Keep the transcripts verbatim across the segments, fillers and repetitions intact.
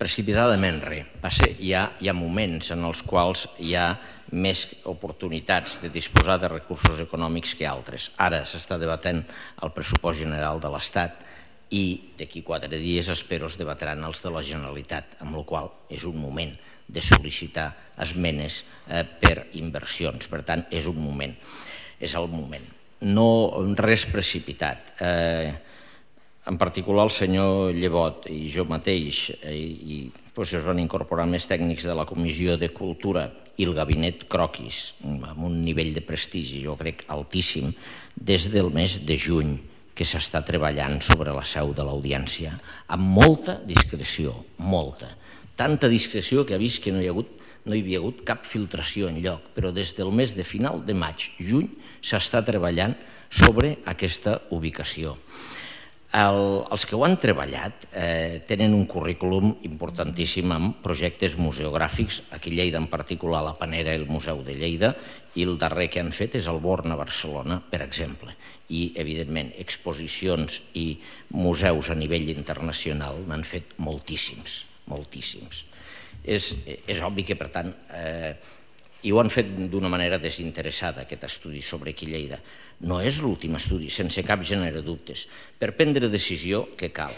precipitadament res. Hi ha, hi ha moments en els quals hi ha més oportunitats de disposar de recursos econòmics que altres. Ara s'està debatent el pressupost general de l'Estat i d'aquí quatre dies espero es debatran els de la Generalitat, amb la qual cosa és un moment de sol·licitar esmenes per inversions. Per tant, és un moment, és el moment. No res precipitat. En particular el senyor Llebot i jo mateix, i es van incorporar més tècnics de la Comissió de Cultura i el gabinet Croquis, amb un nivell de prestigi, jo crec, altíssim, des del mes de juny que s'està treballant sobre la seu de l'Audiència, amb molta discreció, molta. Tanta discreció que ha vist que no hi ha hagut no hi havia hagut cap filtració enlloc, però des del mes de final de maig, juny, s'està treballant sobre aquesta ubicació. Els que ho han treballat tenen un currículum importantíssim amb projectes museogràfics, aquí a Lleida en particular la Panera i el Museu de Lleida, i el darrer que han fet és el Born a Barcelona, per exemple. I, evidentment, exposicions i museus a nivell internacional n'han fet moltíssims, moltíssims. És obvi que, per tant, i ho han fet d'una manera desinteressada, aquest estudi sobre aquí Lleida. No és l'últim estudi, sense cap gènere de dubtes. Per prendre decisió, què cal?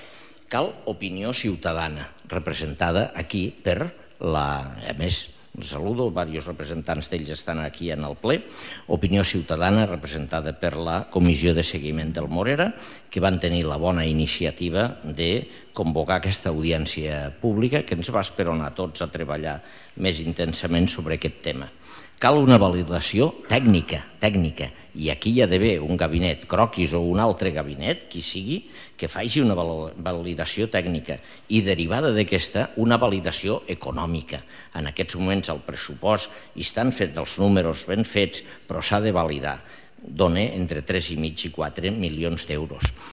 Cal opinió ciutadana, representada aquí per la... A més, els saludo, diversos representants d'ells estan aquí en el ple. Opinió ciutadana representada per la Comissió de Seguiment del Morera, que van tenir la bona iniciativa de convocar aquesta audiència pública que ens va esperonar tots a treballar més intensament sobre aquest tema. Cal una validació tècnica, tècnica, i aquí hi ha d'haver un gabinet Croquis o un altre gabinet, qui sigui, que faci una validació tècnica i derivada d'aquesta una validació econòmica. En aquests moments el pressupost hi estan fets els números ben fets, però s'ha de validar. Dona entre tres i mig i quatre milions d'euros.